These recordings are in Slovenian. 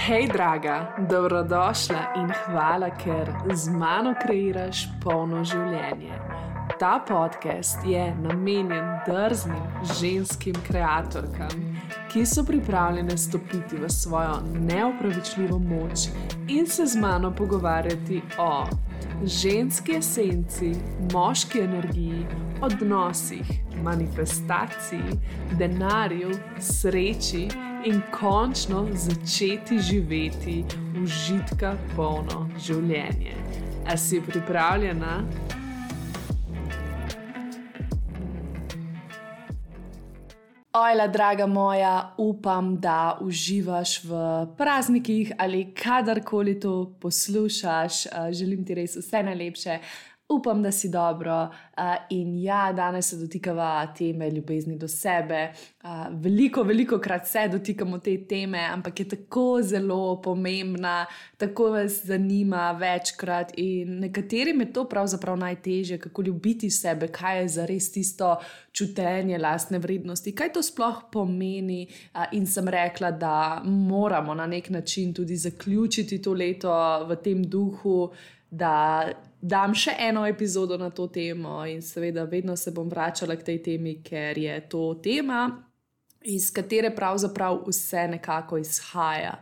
Hej, draga, dobrodošla in hvala, ker z mano kreiraš polno življenje. Ta podcast je namenjen drznim ženskim kreatorkam, ki so pripravljene stopiti v svojo neopravičljivo moč in se z mano pogovarjati o ženski esenci, moški energiji, odnosih, manifestaciji, denarju, sreči in končno začeti živeti užitka polno življenje. A si pripravljena? Ojla, draga moja, upam, da uživaš v praznikih ali kadarkoli to poslušaš. Želim ti res vse najlepše. Upam, da si dobro in ja, danes se dotikava teme ljubezni do sebe. Veliko krat se dotikamo te teme, ampak je tako zelo pomembna, tako vas zanima večkrat in nekaterim je to pravzaprav najtežje, kako ljubiti sebe, kaj je zares tisto čutenje lastne vrednosti, kaj to sploh pomeni in sem rekla, da moramo na nek način tudi zaključiti to leto v tem duhu, da dam še eno epizodo na to temo in seveda vedno se bom vračala k tej temi, ker je to tema, iz katere pravzaprav vse nekako izhaja.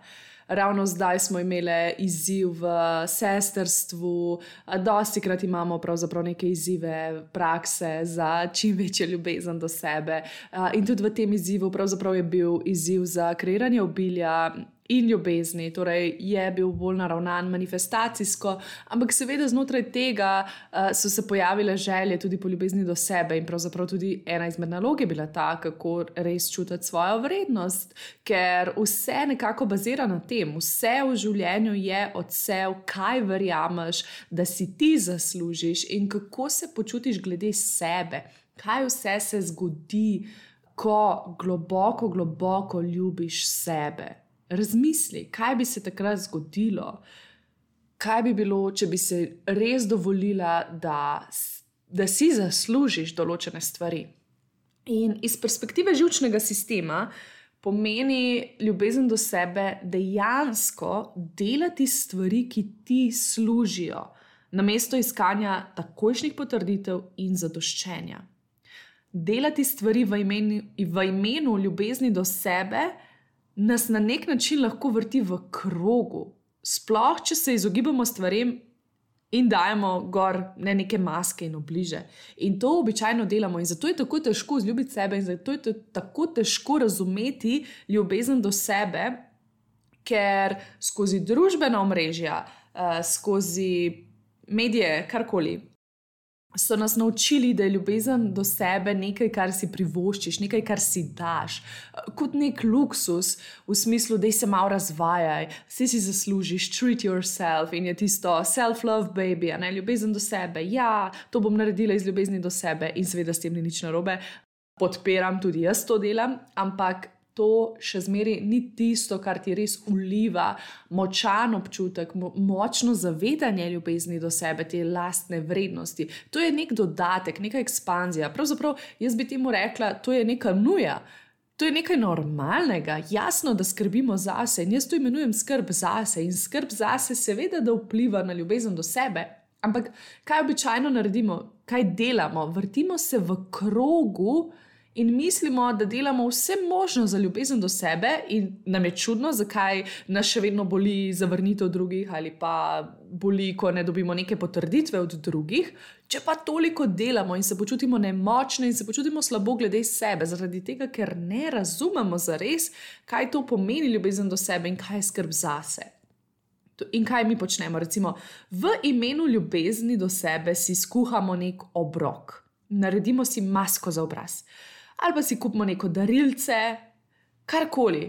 Ravno zdaj smo imeli izziv v sestrstvu, dostikrat imamo pravzaprav neke izzive prakse za čim večjo ljubezen do sebe in tudi v tem izzivu pravzaprav je bil izziv za kreiranje obilja in ljubezni, torej je bil bolj naravnan manifestacijsko, ampak seveda znotraj tega so se pojavile želje tudi po ljubezni do sebe in pravzaprav tudi ena izmed nalog je bila ta, kako res čutiti svojo vrednost, ker vse nekako bazira na tem, vse v življenju je odsev, kaj verjameš, da si ti zaslužiš in kako se počutiš glede sebe, kaj vse se zgodi, ko globoko ljubiš sebe. Razmisli, kaj bi se takrat zgodilo, kaj bi bilo, če bi se res dovolila, da si zaslužiš določene stvari. In iz perspektive živčnega sistema pomeni ljubezen do sebe dejansko delati stvari, ki ti služijo, namesto iskanja takojšnjih potrditev in zadoščenja. Delati stvari v imenu ljubezni do sebe nas na nek način lahko vrti v krogu, sploh če se izogibamo stvarem in dajemo gor neke maske in obliže. In to običajno delamo in zato je tako težko vzljubiti sebe in zato je tako težko razumeti ljubezen do sebe, ker skozi družbena omrežja, skozi medije, karkoli, so nas naučili, da je ljubezen do sebe nekaj, kar si privoščiš, nekaj, kar si daš, kot nek luksus v smislu, da se malo razvajaj, si zaslužiš, treat yourself in je tisto self-love baby, ljubezen do sebe, ja, to bom naredila iz ljubezni do sebe in seveda s tem ni nič narobe, podpiram, tudi jaz to delam, ampak to še zmeraj ni tisto, kar ti res vliva močan občutek, močno zavedanje ljubezni do sebe, te lastne vrednosti. To je nek dodatek, neka ekspanzija. Pravzaprav jaz bi temu rekla, to je neka nuja. To je nekaj normalnega, jasno, da skrbimo zase in jaz to imenujem skrb zase in skrb zase seveda, da vpliva na ljubezen do sebe. Ampak kaj običajno naredimo, kaj delamo? Vrtimo se v krogu in mislimo, da delamo vse možno za ljubezen do sebe in nam je čudno, zakaj nas še vedno boli zavrnitev drugih ali pa boli, ko ne dobimo neke potrditve od drugih, če pa toliko delamo in se počutimo nemočne in se počutimo slabo glede sebe, zaradi tega, ker ne razumemo zares, kaj to pomeni ljubezen do sebe in kaj je skrb zase. In kaj mi počnemo? Recimo, v imenu ljubezni do sebe si skuhamo nek obrok, naredimo si masko za obraz. Ali pa si kupimo neko darilce, karkoli,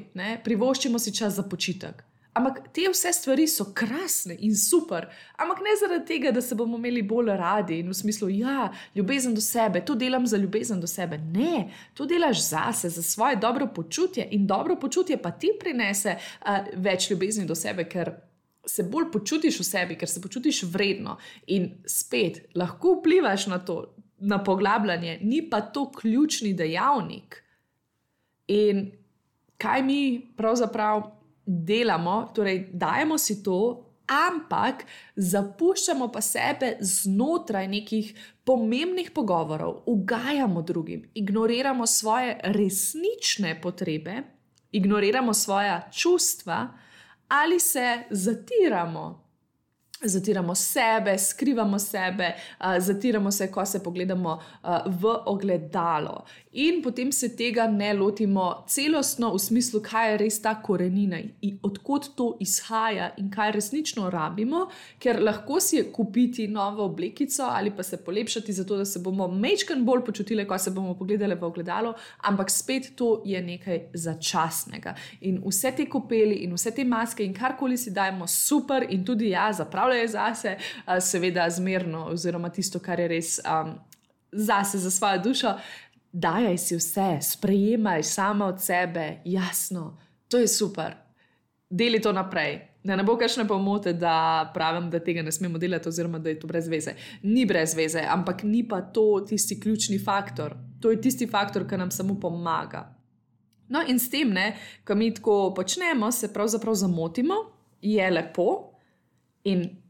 privoščimo si čas za počitek. Ampak te vse stvari so krasne in super, ampak ne zaradi tega, da se bomo imeli bolj radi in v smislu, ja, ljubezen do sebe, to delam za ljubezen do sebe. Ne, to delaš zase, za svoje dobro počutje in dobro počutje pa ti prinese več ljubezni do sebe, ker se bolj počutiš v sebi, ker se počutiš vredno in spet lahko vplivaš na to, na poglabljanje, ni pa to ključni dejavnik. In kaj mi pravzaprav delamo, torej dajemo si to, ampak zapuščamo pa sebe znotraj nekih pomembnih pogovorov, ugajamo drugim, ignoriramo svoje resnične potrebe, ignoriramo svoja čustva ali se zatiramo. Zatiramo sebe, skrivamo sebe, zatiramo se, ko se pogledamo v ogledalo. In potem se tega ne lotimo celostno v smislu, kaj je res ta korenina in odkot to izhaja in kaj resnično rabimo, ker lahko si kupiti novo oblekico ali pa se polepšati zato, da se bomo majčkeno bolj počutili, ko se bomo pogledali v ogledalo, ampak spet to je nekaj začasnega. In vse te kopeli in vse te maske in karkoli si dajemo super in tudi zapravljamo zase, seveda zmerno, oziroma tisto, kar je res zase, za svojo dušo, dajaj si vse, sprejemaj sama od sebe, jasno, to je super. Deli to naprej. Ne bo kakšne pomote, da pravim, da tega ne smemo delati, oziroma da je to brez veze. Ni brez veze, ampak ni pa to tisti ključni faktor. To je tisti faktor, ki nam samo pomaga. No in s tem, ko mi tako počnemo, se pravzaprav zamotimo, je lepo in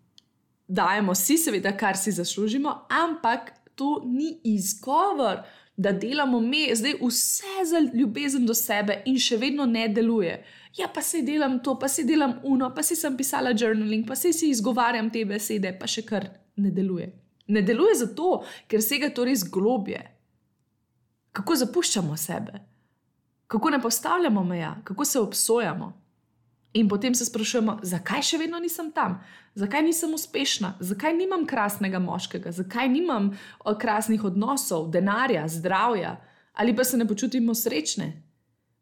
dajemo si seveda, kar si zaslužimo, ampak to ni izgovor, da delamo zdaj vse za ljubezen do sebe in še vedno ne deluje. Ja, pa si delam to, pa si delam pa si sem pisala journaling, pa si izgovarjam te besede, pa še kar ne deluje. Ne deluje zato, ker sega to res globje. Kako zapuščamo sebe? Kako ne postavljamo meja? Kako se obsojamo? In potem se sprašujemo, zakaj še vedno nisem tam? Zakaj nisem uspešna? Zakaj nimam krasnega moškega? Zakaj nimam krasnih odnosov, denarja, zdravja? Ali pa se ne počutimo srečne?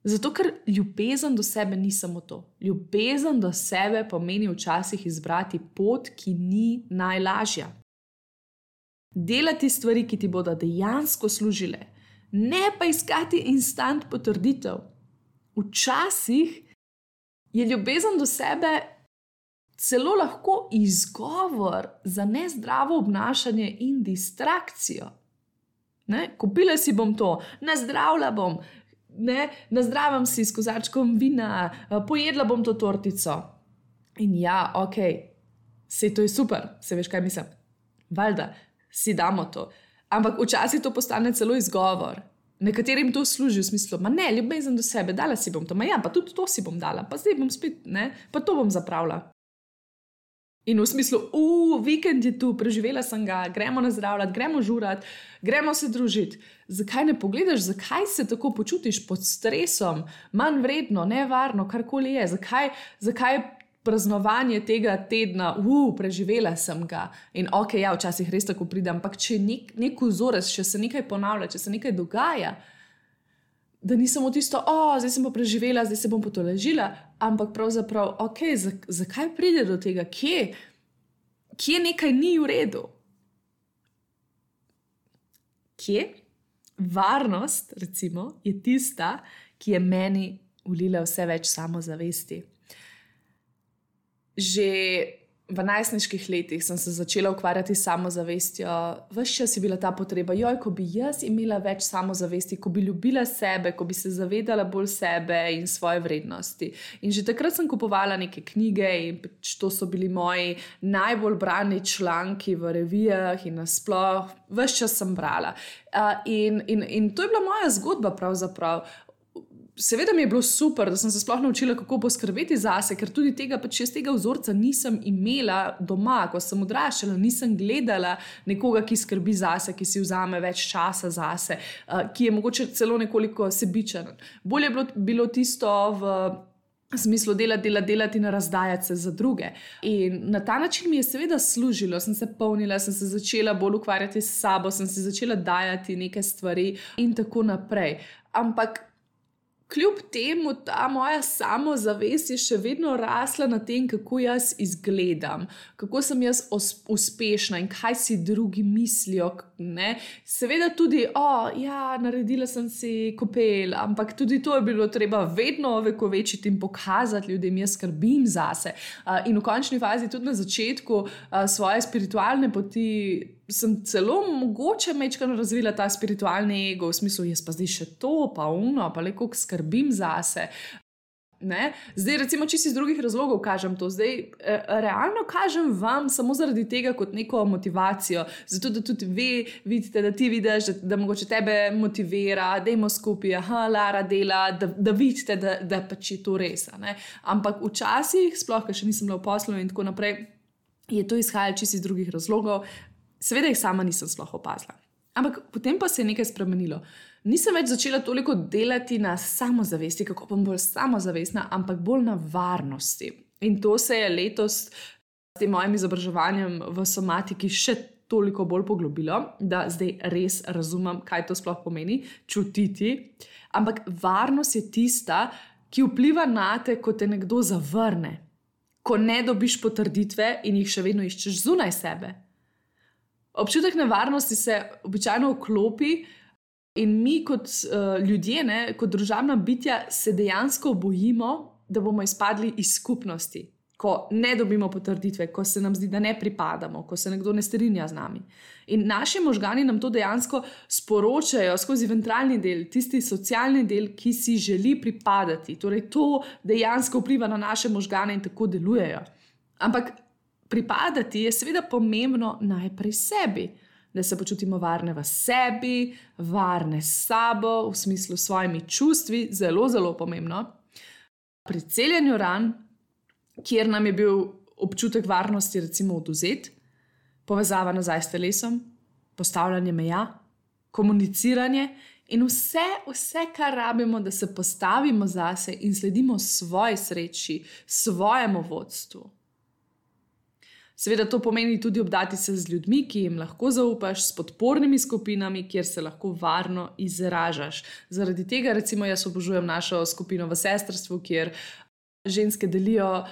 Zato, ker ljubezen do sebe ni samo to. Ljubezen do sebe pomeni včasih izbrati pot, ki ni najlažja. Delati stvari, ki ti bodo dejansko služile. Ne pa iskati instant potrditev. Včasih je ljubezen do sebe celo lahko izgovor za nezdravo obnašanje in distrakcijo. Kupila si bom to, nazdravila bom, nazdravam si s kozarčkom vina, pojedla bom to tortico. In saj to je super, se veš, kaj mislim. Valjda, si damo to. Ampak včasih to postane celo izgovor. Nekaterim to služi v smislu, ljubezen do sebe, dala si bom to, pa tudi to si bom dala, pa zdaj bom spet, pa to bom zapravila. In v smislu, vikend je tu, preživela sem ga, gremo nazdravljati, gremo žurati, gremo se družiti. Zakaj ne pogledaš, zakaj se tako počutiš pod stresom, manj vredno, nevarno, karkoli je, zakaj praznovanje tega tedna, preživela sem ga in včasih res tako pride, ampak če nek vzorec, če se nekaj ponavlja, če se nekaj dogaja, da ni samo tisto, zdaj sem pa preživela, zdaj se bom potolažila, ampak pravzaprav, zakaj pride do tega, kje nekaj ni v redu? Kje? Varnost, recimo, je tista, ki je meni vlila vse več samozavesti. Že v najstniških letih sem se začela ukvarjati s samozavestjo. Ves čas je bila ta potreba, ko bi jaz imela več samozavesti, ko bi ljubila sebe, ko bi se zavedala bolj sebe in svoje vrednosti. In že takrat sem kupovala neke knjige in to so bili moji najbolj brani članki v revijah in nasploh. Ves čas sem brala. In to je bila moja zgodba pravzaprav. Seveda mi je bilo super, da sem se sploh naučila, kako poskrbeti zase, ker tudi jaz tega vzorca nisem imela doma, ko sem odraščala, nisem gledala nekoga, ki skrbi zase, ki si vzame več časa zase, ki je mogoče celo nekoliko sebičen. Bolje je bilo tisto v smislu delati in razdajati se za druge. In na ta način mi je seveda služilo, sem se polnila, sem se začela bolj ukvarjati s sabo, sem si začela dajati neke stvari in tako naprej. Ampak kljub temu ta moja samozavest je še vedno rasla na tem, kako jaz izgledam, kako sem jaz uspešna in kaj si drugi mislijo. Seveda tudi, naredila sem si kopel, ampak tudi to je bilo treba vedno ovekovečiti in pokazati ljudem, jaz skrbim zase. In v končni fazi tudi na začetku svoje spiritualne poti sem celo mogoče majčkeno razvila ta spiritualni ego, v smislu, jaz pa zdaj še to, pa le koliko skrbim zase. Ne? Zdaj, recimo, čisto iz drugih razlogov kažem to. Zdaj, realno kažem vam samo zaradi tega kot neko motivacijo, zato da tudi vi vidite, da ti vidiš, da mogoče tebe motivira, dajmo skupaj, Lara dela, da vidite, da pač je to res. Ne? Ampak včasih, sploh, ker še nisem bila v poslu in tako naprej, je to izhajalo čisto iz drugih razlogov. Seveda jih sama nisem sploh opazila. Ampak potem pa se je nekaj spremenilo. Nisem več začela toliko delati na samozavesti, kako bom bolj samozavestna, ampak bolj na varnosti. In to se je letos s tem mojim izobraževanjem v somatiki še toliko bolj poglobilo, da zdaj res razumem, kaj to sploh pomeni, čutiti. Ampak varnost je tista, ki vpliva na te, ko te nekdo zavrne, ko ne dobiš potrditve in jih še vedno iščeš zunaj sebe. Občutek nevarnosti se običajno vklopi in mi kot ljudje, kot družabna bitja, se dejansko bojimo, da bomo izpadli iz skupnosti, ko ne dobimo potrditve, ko se nam zdi, da ne pripadamo, ko se nekdo ne strinja z nami. In naši možgani nam to dejansko sporočajo skozi ventralni del, tisti socialni del, ki si želi pripadati. Torej, to dejansko vpliva na naše možgane in tako delujejo. Ampak pripadati je seveda pomembno najprej sebi, da se počutimo varne v sebi, varne s sabo, v smislu s svojimi čustvi, zelo, zelo pomembno. Pri celjenju ran, kjer nam je bil občutek varnosti recimo odvzet, povezava nazaj s telesom, postavljanje meja, komuniciranje in vse, kar rabimo, da se postavimo zase in sledimo svoji sreči, svojemu vodstvu. Seveda to pomeni tudi obdati se z ljudmi, ki jim lahko zaupaš, s podpornimi skupinami, kjer se lahko varno izražaš. Zaradi tega recimo jaz obožujem našo skupino v sestrstvu, kjer ženske delijo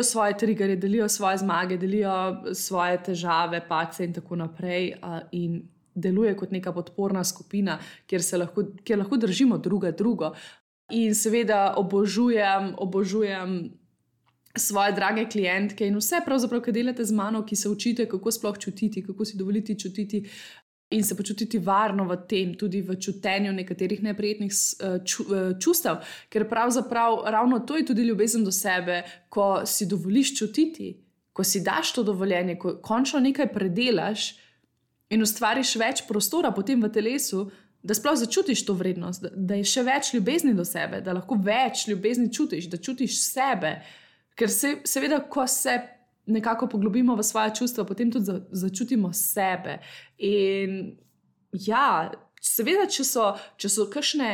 svoje triggerje, delijo svoje zmage, delijo svoje težave, padce in tako naprej in deluje kot neka podporna skupina, kjer lahko držimo drugo. In seveda obožujem svoje drage klientke in vse pravzaprav, ki delate z mano, ki se učite, kako sploh čutiti, kako si dovoliti čutiti in se počutiti varno v tem, tudi v čutenju nekaterih neprijetnih čustev, ker pravzaprav ravno to je tudi ljubezen do sebe, ko si dovoliš čutiti, ko si daš to dovoljenje, ko končno nekaj predelaš in ustvariš več prostora potem v telesu, da sploh začutiš to vrednost, da je še več ljubezni do sebe, da lahko več ljubezni čutiš, da čutiš sebe. Ker seveda, ko se nekako poglobimo v svoje čustva, potem tudi začutimo sebe. In ja, seveda, če so kakšne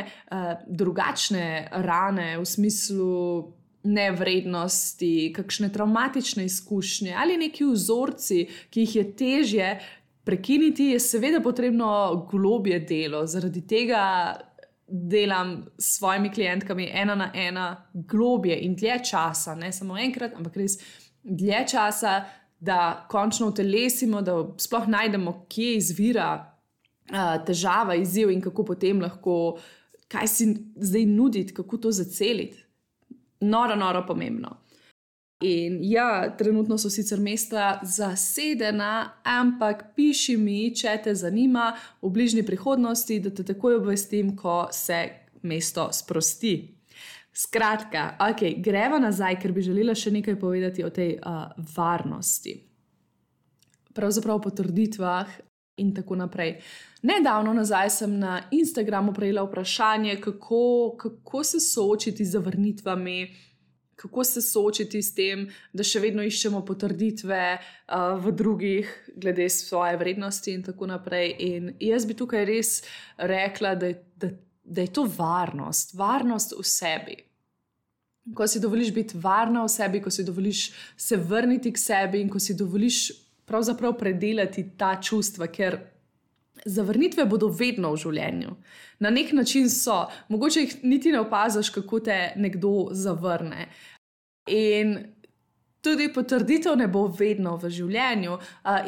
drugačne rane v smislu nevrednosti, kakšne travmatične izkušnje ali neki vzorci, ki jih je težje prekiniti, je seveda potrebno globje delo. Zaradi tega delam s svojimi klientkami 1 na 1 globje in dlje časa, ne samo enkrat, ampak res dlje časa, da končno utelesimo, da sploh najdemo, kje izvira težava, izziv in kako potem lahko, kaj si zdaj nuditi, kako to zaceliti. Noro pomembno. In ja, trenutno so sicer mesta zasedena, ampak piši mi, če te zanima v bližnji prihodnosti, da te takoj obvestim, ko se mesto sprosti. Skratka, greva nazaj, ker bi želela še nekaj povedati o tej varnosti. Pravzaprav o potrditvah in tako naprej. Nedavno nazaj sem na Instagramu prejela vprašanje, kako se soočiti z zavrnitvami, kako se soočiti s tem, da še vedno iščemo potrditve v drugih glede svoje vrednosti in tako naprej. In jaz bi tukaj res rekla, da je to varnost v sebi. Ko si dovoliš biti varna v sebi, ko si dovoliš se vrniti k sebi in ko si dovoliš pravzaprav predelati ta čustva, ker zavrnitve bodo vedno v življenju. Na nek način so. Mogoče jih niti ne opaziš, kako te nekdo zavrne. In tudi potrditev ne bo vedno v življenju.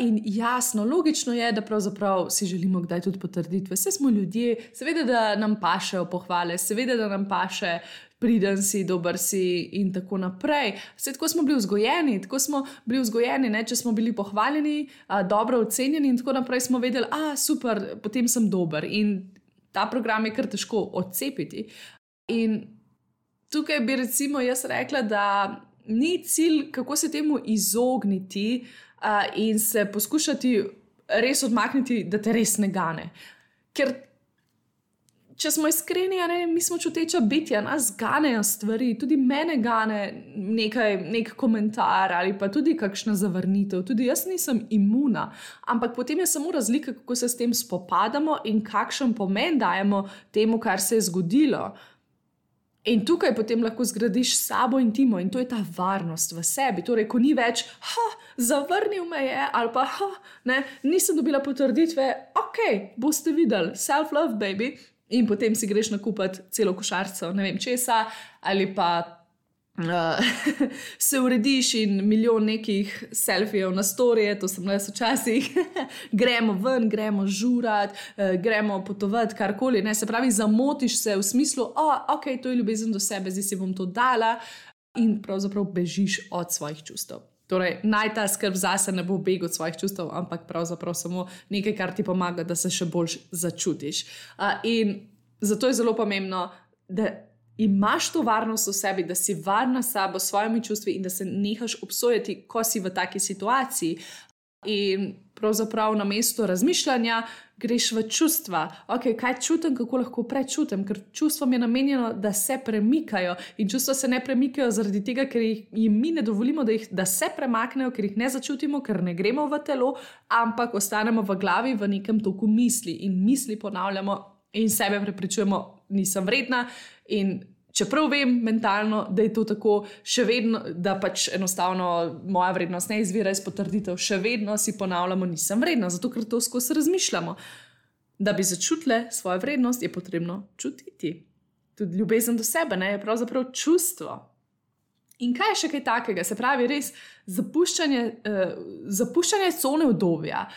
In jasno, logično je, da pravzaprav si želimo kdaj tudi potrditve. Saj smo ljudje, seveda, da nam pašejo pohvale, seveda, da nam paše priden si, dober si in tako naprej. Saj tako smo bili vzgojeni, če smo bili pohvaljeni, dobro ocenjeni in tako naprej, smo vedeli, super, potem sem dober. In ta program je kar težko odcepiti. In tukaj bi recimo jaz rekla, da ni cilj, kako se temu izogniti in se poskušati res odmakniti, da te res ne gane. Ker če smo iskreni, mi smo čuteča bitja, nas ganejo stvari, tudi mene gane nek komentar ali pa tudi kakšna zavrnitev, tudi jaz nisem imuna, ampak potem je samo razlika, kako se s tem spopadamo in kakšen pomen dajemo temu, kar se je zgodilo. In tukaj potem lahko zgradiš sabo in timo in to je ta varnost v sebi. Torej, ko ni več, zavrnil me je ali pa, nisem dobila potrditve, boste videli, self-love, baby. In potem si greš nakupiti celo košarico, ne vem česa, ali pa se urediš in milijon nekih selfijev na storije, to sem jaz včasih, gremo ven, gremo žurat, gremo potovati, karkoli, se pravi, zamotiš se v smislu, to je ljubezen do sebe, zdaj si bom to dala in pravzaprav bežiš od svojih čustev. Torej, naj ta skrb zase ne bo beg od svojih čustev, ampak pravzaprav samo nekaj, kar ti pomaga, da se še bolj začutiš. In zato je zelo pomembno, da imaš to varnost v sebi, da si varna s sabo, s svojimi čustvi in da se nehaš obsojati, ko si v taki situaciji. In pravzaprav na mesto razmišljanja greš v čustva. Kaj čutim, kako lahko prečutim, ker čustvom je namenjeno, da se premikajo in čustva se ne premikajo zaradi tega, ker jim mi ne dovolimo, da se premaknejo, ker jih ne začutimo, ker ne gremo v telo, ampak ostanemo v glavi v nekem toku misli in misli ponavljamo in sebe prepričujemo, nisem vredna in čeprav vem mentalno, da je to tako, še vedno, da pač enostavno moja vrednost ne izvira iz potrditev, še vedno si ponavljamo, nisem vredna, zato ker to skozi razmišljamo. Da bi začutile svojo vrednost, je potrebno čutiti. Tudi ljubezen do sebe, je pravzaprav čustvo. In kaj je še kaj takega? Se pravi, res zapuščanje cone udobja,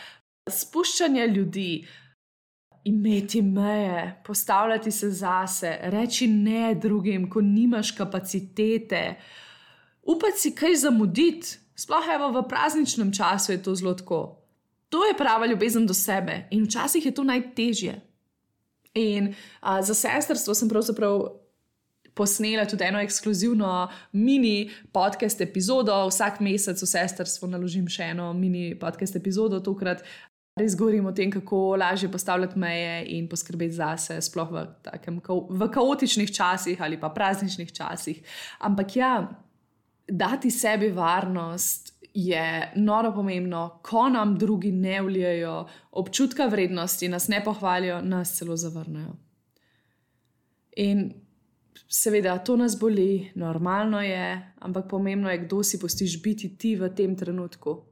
spuščanje ljudi, imeti meje, postavljati se zase, reči ne drugim, ko nimaš kapacitete, upati si kaj zamuditi, sploh v prazničnem času je to zelo tako. To je prava ljubezen do sebe in včasih je to najtežje. In za sestrstvo sem pravzaprav posnela tudi eno ekskluzivno mini podcast epizodo, vsak mesec v sestrstvo naložim še eno mini podcast epizodo, tokrat res govorim o tem, kako lažje postavljati meje in poskrbeti zase, sploh v kaotičnih časih ali pa prazničnih časih. Ampak dati sebi varnost je noro pomembno, ko nam drugi ne vlijajo občutka vrednosti, nas ne pohvalijo, nas celo zavrnejo. In seveda, to nas boli, normalno je, ampak pomembno je, kdo si pustiš biti ti v tem trenutku.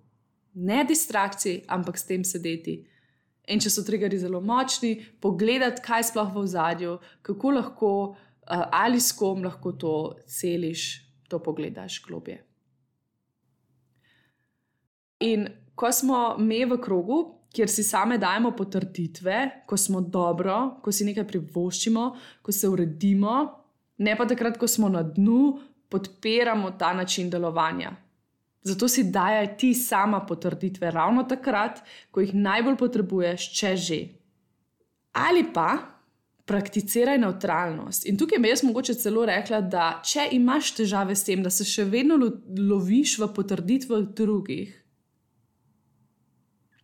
Ne distrakciji, ampak s tem sedeti. In če so triggerji zelo močni, pogledati, kaj sploh v ozadju, kako lahko ali s kom lahko to celiš, to pogledaš globje. In ko smo me v krogu, kjer si same dajemo potrditve, ko smo dobro, ko si nekaj privoščimo, ko se uredimo, ne pa takrat, ko smo na dnu, podpiramo ta način delovanja. Zato si dajaj ti sama potrditve ravno takrat, ko jih najbolj potrebuješ, če že. Ali pa prakticiraj nevtralnost. In tukaj bi jaz mogoče celo rekla, da če imaš težave s tem, da se še vedno loviš v potrditvah drugih,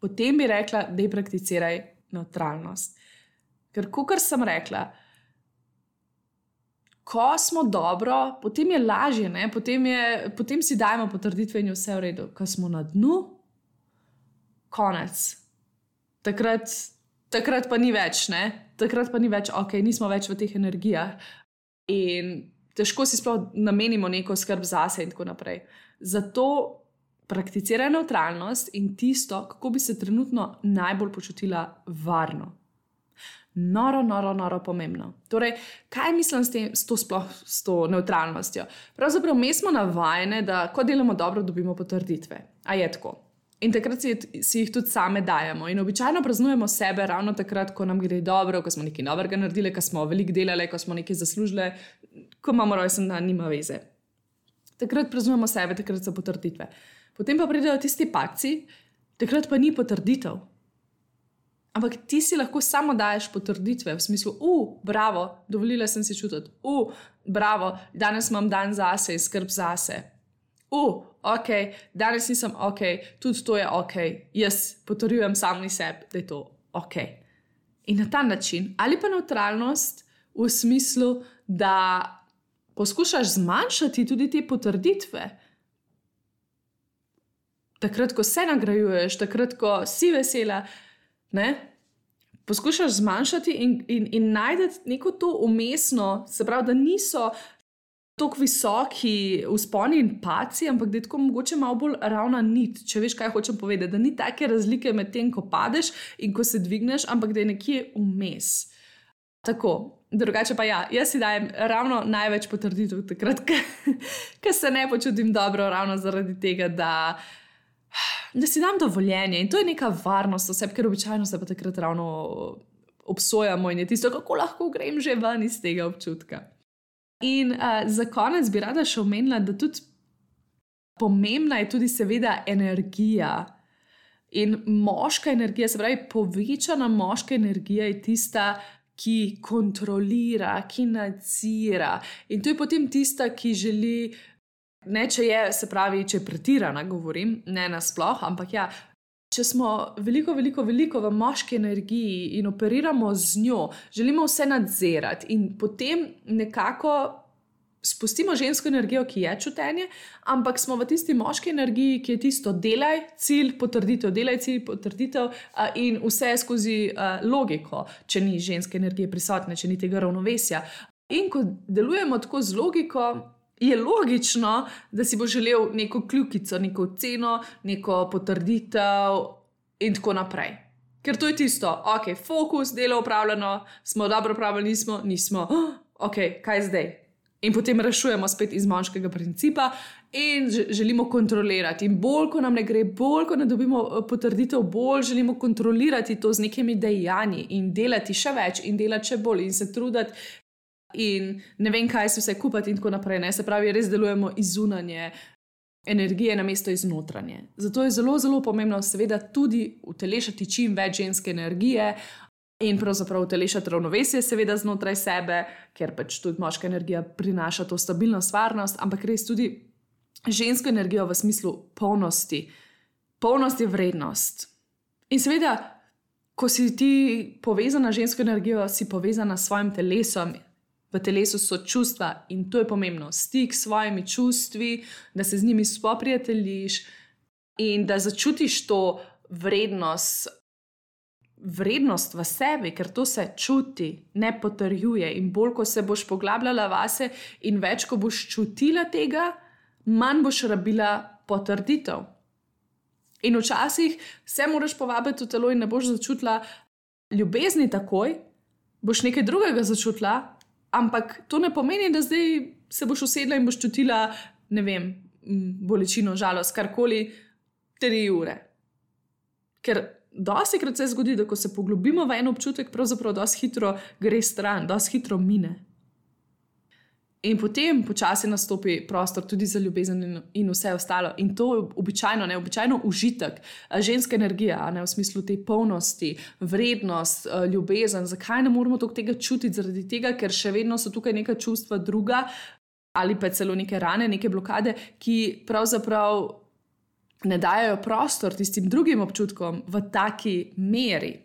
potem bi rekla, da prakticiraj nevtralnost. Ker kakor sem rekla, ko smo dobro, potem je lažje, potem si dajemo potrditve in je vse v redu. Ko smo na dnu, konec. Takrat pa ni več, Takrat pa ni več, nismo več v teh energijah. In težko si sploh namenimo neko skrb zase in tako naprej. Zato prakticiraj nevtralnost in tisto, kako bi se trenutno najbolj počutila varno. Noro pomembno. Torej, kaj mislim s to nevtralnostjo? Pravzaprav mi smo navajene, da ko delamo dobro, dobimo potrditve. A je tako? In takrat si jih tudi same dajemo. In običajno praznujemo sebe ravno takrat, ko nam gre dobro, ko smo nekaj novega naredili, ko smo veliko delali, ko smo nekaj zaslužili, ko imamo rojsten dan, nima veze. Takrat praznujemo sebe, takrat so potrditve. Potem pa pridejo tisti padci, takrat pa ni potrditev. Ampak ti si lahko samo daješ potrditve v smislu, bravo, dovolila sem si čutiti, bravo, danes imam dan zase in skrb zase. Ok, danes nisem ok, tudi to je ok, jaz potrjujem sami sebi, da je to ok. In na ta način, ali pa nevtralnost v smislu, da poskušaš zmanjšati tudi te potrditve. Takrat, ko se nagrajuješ, takrat, ko si vesela, ne? Poskušaš zmanjšati in najdeti neko to umestno, se pravi, da niso tako visoki vzponi in padci, ampak da je tako mogoče malo bolj ravna nit, če veš, kaj hočem povedati, da ni take razlike med tem, ko padeš in ko se dvigneš, ampak da je nekje vmes. Tako, drugače pa ja, jaz si dajem ravno največ potrditev takrat, ker se ne počutim dobro, ravno zaradi tega, da si dam dovoljenje in to je neka varnost oseb, ker običajno se pa takrat ravno obsojamo in je tisto, kako lahko grem že ven iz tega občutka. In za konec bi rada še omenila, da tudi pomembna je tudi seveda energija. In moška energija, se pravi povečana moška energija je tista, ki kontrolira, ki nadzira. In to je potem tista, ki želi, ne če je, se pravi, če je pretirana, govorim, ne nasploh, ampak ja, če smo veliko v moški energiji in operiramo z njo, želimo vse nadzirati in potem nekako spustimo žensko energijo, ki je čutenje, ampak smo v tisti moški energiji, ki je tisto delaj, cilj, potrditev, delaj, cilj, potrditev in vse skozi logiko, če ni ženske energije prisotne, če ni tega ravnovesja. In ko delujemo tako z logiko, je logično, da si bo želel neko kljukico, neko oceno, neko potrditev in tako naprej. Ker to je tisto, ok, fokus, delo opravljeno, smo dobro opravljeni, nismo, ok, kaj zdaj? In potem rešujemo spet iz moškega principa in želimo kontrolirati. In bolj, ko nam ne gre, bolj, ko ne dobimo potrditev, bolj želimo kontrolirati to z nekimi dejanji in delati še več in delati še bolj in se truditi in ne vem, kaj se vse kupati in tako naprej. Ne? Se pravi, res delujemo iz zunanje energije namesto iz notranje. Zato je zelo pomembno seveda tudi utelešati čim več ženske energije in pravzaprav utelešati ravnovesje seveda znotraj sebe, ker pač tudi moška energija prinaša to stabilnost, varnost, ampak res tudi žensko energijo v smislu polnosti. Polnost je vrednost. In seveda, ko si ti povezana z žensko energijo, si povezana s svojim telesom. V telesu so čustva in to je pomembno. Stik s svojimi čustvi, da se z njimi spoprijateljiš in da začutiš to vrednost v sebi, ker to se čuti, ne potrjuje. In bolj, ko se boš poglabljala vase in več, ko boš čutila tega, manj boš rabila potrditev. In včasih se moraš povabiti v telo in ne boš začutila ljubezni takoj, boš nekaj drugega začutila, ampak to ne pomeni, da zdaj se boš usedla in boš čutila, ne vem, bolečino, žalost, karkoli 3 ure. Ker dostikrat se zgodi, da ko se poglobimo v en občutek, pravzaprav dosti hitro gre stran, dosti hitro mine. In potem počasi nastopi prostor tudi za ljubezen in vse ostalo. In to je običajno užitek, ženska energija, ne, v smislu te polnosti, vrednost, ljubezen. Zakaj ne moramo tega čutiti? Zaradi tega, ker še vedno so tukaj neka čustva druga ali pa celo neke rane, neke blokade, ki pravzaprav ne dajo prostor tistim drugim občutkom v taki meri.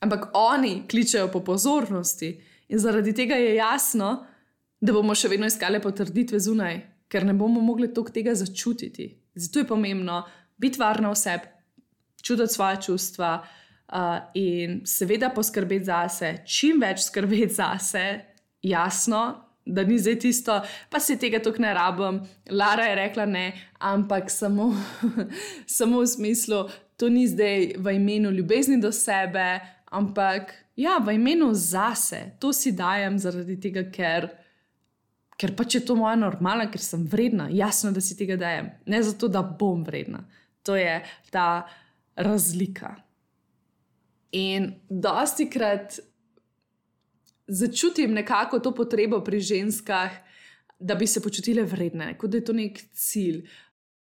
Ampak oni kličejo po pozornosti in zaradi tega je jasno, da bomo še vedno iskali potrditve zunaj, ker ne bomo mogli toliko tega začutiti. Zato je pomembno biti varna v sebi, čutiti svoje čustva in seveda poskrbeti zase, čim več skrbeti zase, jasno, da ni zdaj tisto, pa si tega toliko ne rabim, Lara je rekla ne, ampak samo v smislu, to ni zdaj v imenu ljubezni do sebe, ampak ja, v imenu zase, to si dajem zaradi tega, ker pač je to moja normala, ker sem vredna, jasno, da si tega dajem. Ne zato, da bom vredna. To je ta razlika. In dostikrat začutim nekako to potrebo pri ženskah, da bi se počutile vredne, kot da je to nek cilj.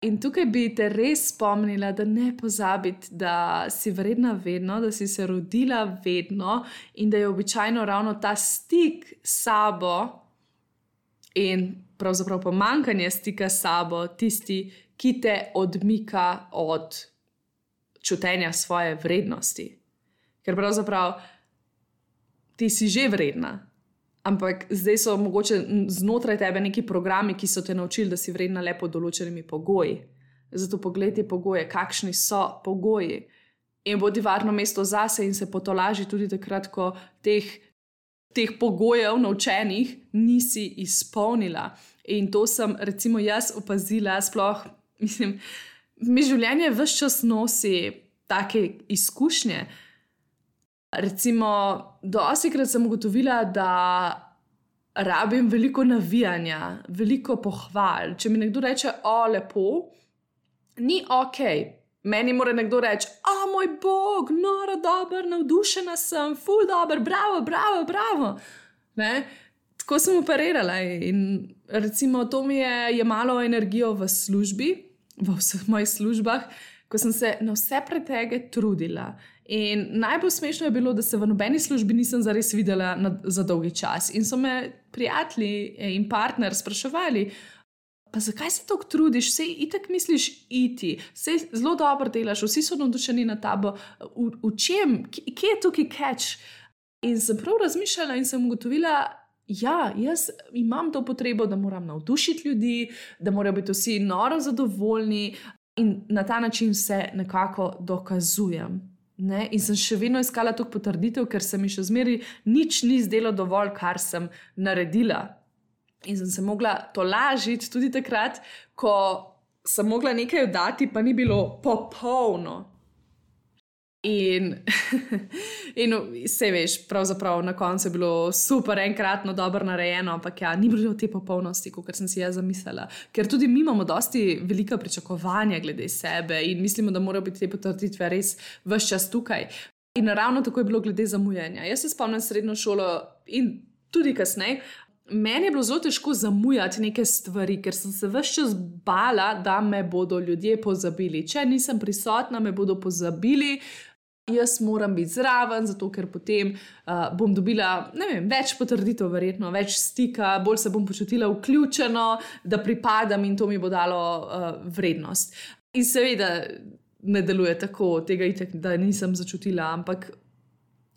In tukaj bi te res spomnila, da ne pozabiti, da si vredna vedno, da si se rodila vedno in da je običajno ravno ta stik s sabo in pravzaprav pomanjkanje stika s sabo tisti, ki te odmika od čutenja svoje vrednosti. Ker pravzaprav ti si že vredna, ampak zdaj so mogoče znotraj tebe neki programi, ki so te naučili, da si vredna le pod določenimi pogoji. Zato poglej te pogoje, kakšni so pogoji. In bodi varno mesto zase in se potolaži tudi takrat, ko teh pogojev naučenih nisi izpolnila. In to sem recimo jaz opazila, sploh, mi življenje ves čas nosi take izkušnje. Recimo, dostikrat sem ugotovila, da rabim veliko navijanja, veliko pohval. Če mi nekdo reče, lepo, ni okej. Meni mora nekdo reči, moj bog, noro dober, navdušena sem, ful dober, bravo, bravo, bravo. Ne? Tako sem operirala in recimo to mi je jemalo energijo v službi, v vseh mojih službah, ko sem se na vse pretege trudila. In najbolj smešno je bilo, da se v nobeni službi nisem zares videla za dolgi čas. In so me prijatelji in partner spraševali, pa zakaj se toliko trudiš, sej itak misliš iti, sej zelo dobro delaš, vsi so navdušeni nad tabo, v čem, kje je tukaj catch? In sem prav razmišljala in sem ugotovila, jaz imam to potrebo, da moram navdušiti ljudi, da morajo biti vsi noro zadovoljni in na ta način se nekako dokazujem. Ne? In sem še vedno iskala toliko potrditev, ker se mi še zmeraj nič ni zdelo dovolj, kar sem naredila. In sem se mogla tolažiti tudi takrat, ko sem mogla nekaj oddati, pa ni bilo popolno. In se veš, pravzaprav na koncu je bilo super, enkratno dobro narejeno, ampak ni bilo te popolnosti, kot sem si jaz zamislila. Ker tudi mi imamo dosti velika pričakovanja glede sebe in mislimo, da morajo biti te potrditve res ves čas tukaj. In ravno tako je bilo glede zamujanja. Jaz se spomnim srednjo šolo in tudi kasneje, meni je bilo zelo težko zamujati neke stvari, ker sem se ves čas bala, da me bodo ljudje pozabili. Če nisem prisotna, me bodo pozabili. Jaz moram biti zraven, zato ker potem bom dobila, več potrditev verjetno, več stika, bolj se bom počutila vključeno, da pripadam in to mi bo dalo vrednost. In seveda ne deluje tako, tega itak, da nisem začutila, ampak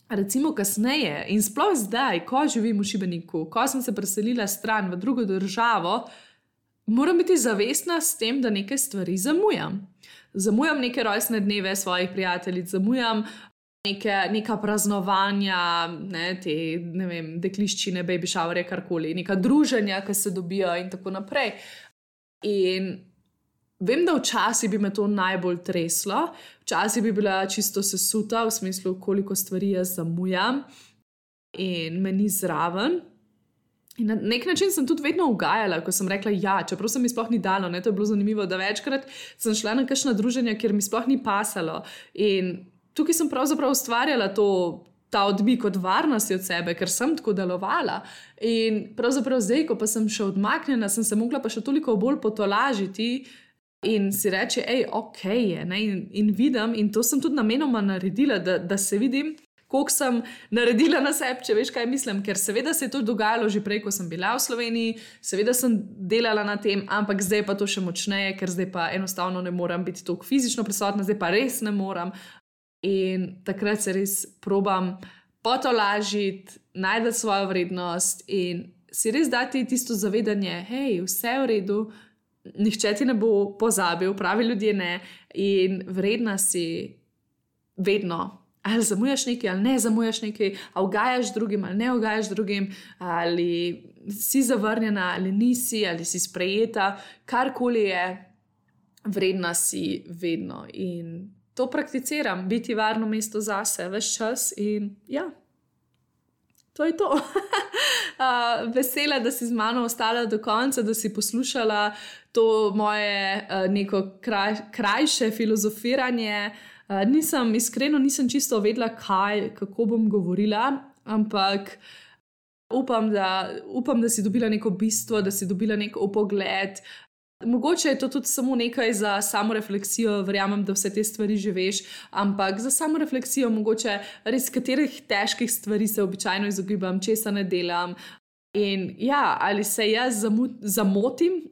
recimo kasneje in sploh zdaj, ko živim v Šibeniku, ko sem se preselila stran v drugo državo, moram biti zavestna s tem, da neke stvari zamujam. Zamujam neke rojstne dneve svojih prijateljic, zamujam neka praznovanja, dekliščine, baby showerje, karkoli, neka druženja, ki se dobijo in tako naprej. In vem, da včasih bi me to najbolj treslo, včasih bi bila čisto sesuta, v smislu, koliko stvari jaz zamujam in me ni zraven. In na nek način sem tudi vedno ugajala, ko sem rekla čeprav se mi sploh ni dalo, to je bilo zanimivo, da večkrat sem šla na kakšna druženja, kjer mi sploh ni pasalo. In tukaj sem pravzaprav ustvarjala ta odmik od varnosti od sebe, ker sem tako delovala. In pravzaprav zdaj, ko pa sem še odmaknjena, sem se mogla pa še toliko bolj potolažiti in si reči, okej je, in vidim, in to sem tudi namenoma naredila, da se vidim, koliko sem naredila na sebi, če veš, kaj mislim, ker seveda se je to dogajalo že prej, ko sem bila v Sloveniji, seveda sem delala na tem, ampak zdaj pa to še močneje, ker zdaj pa enostavno ne moram biti toliko fizično prisotna, zdaj pa res ne moram. In takrat se res probam potolažiti, najti svojo vrednost in si res dati tisto zavedanje, vse je v redu, nihče ti ne bo pozabil, pravi ljudje ne, in vredna si vedno. Ali zamujaš nekaj, ali ne zamujaš nekaj, ali ugajaš drugim, ali ne ugajaš drugim, ali si zavrnjena, ali nisi, ali si sprejeta, karkoli je, vredna si vedno. In to prakticiram, biti varno mesto zase, ves čas in to je to. Vesela, da si z mano ostala do konca, da si poslušala to moje neko krajše filozofiranje. Iskreno nisem čisto vedela, kako bom govorila, ampak upam, da si dobila neko bistvo, da si dobila nek vpogled Mogoče je to tudi samo nekaj za samorefleksijo, verjamem, da vse te stvari že veš, ampak za samorefleksijo mogoče res katerih težkih stvari se običajno izogibam, česa ne delam. In ja, ali se jaz zamotim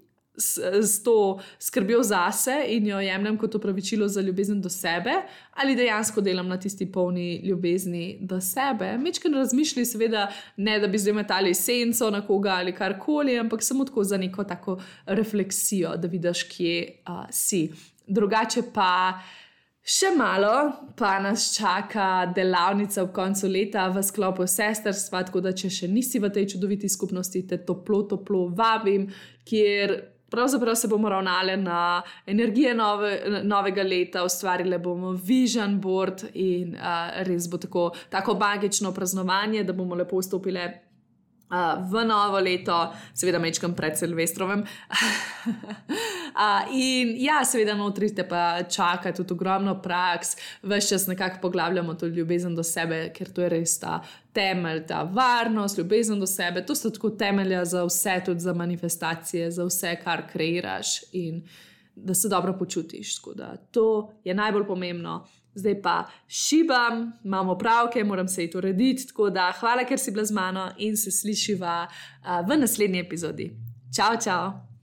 s to skrbjo zase in jo jemljem kot opravičilo za ljubezen do sebe, ali dejansko delam na tisti polni ljubezni do sebe. Mečken razmišljaj, seveda, ne da bi zdaj metali senco na koga ali karkoli, ampak samo tako za neko tako refleksijo, da vidiš, kje si. Drugače pa še malo, pa nas čaka delavnica ob koncu leta v sklopu sestrstva, tako da če še nisi v tej čudoviti skupnosti, te toplo vabim, kjer pravzaprav se bomo ravnali na energije novega leta, ustvarili bomo vision board in res bo tako magično praznovanje, da bomo lepo vstopili v novo leto, seveda mečkam pred Silvestrovem. In ja, seveda notri te pa čaka tudi ogromno praks, ves čas nekako poglabljamo to ljubezen do sebe, ker to je res ta temelj, ta varnost, ljubezen do sebe, to so tako temelja za vse, tudi za manifestacije, za vse, kar kreiraš in da se dobro počutiš, tako da to je najbolj pomembno. Zdaj pa šibam, imamo pravke, moram se iti urediti, tako da hvala, ker si bila z mano in se slišiva v naslednji epizodi. Čau, čau!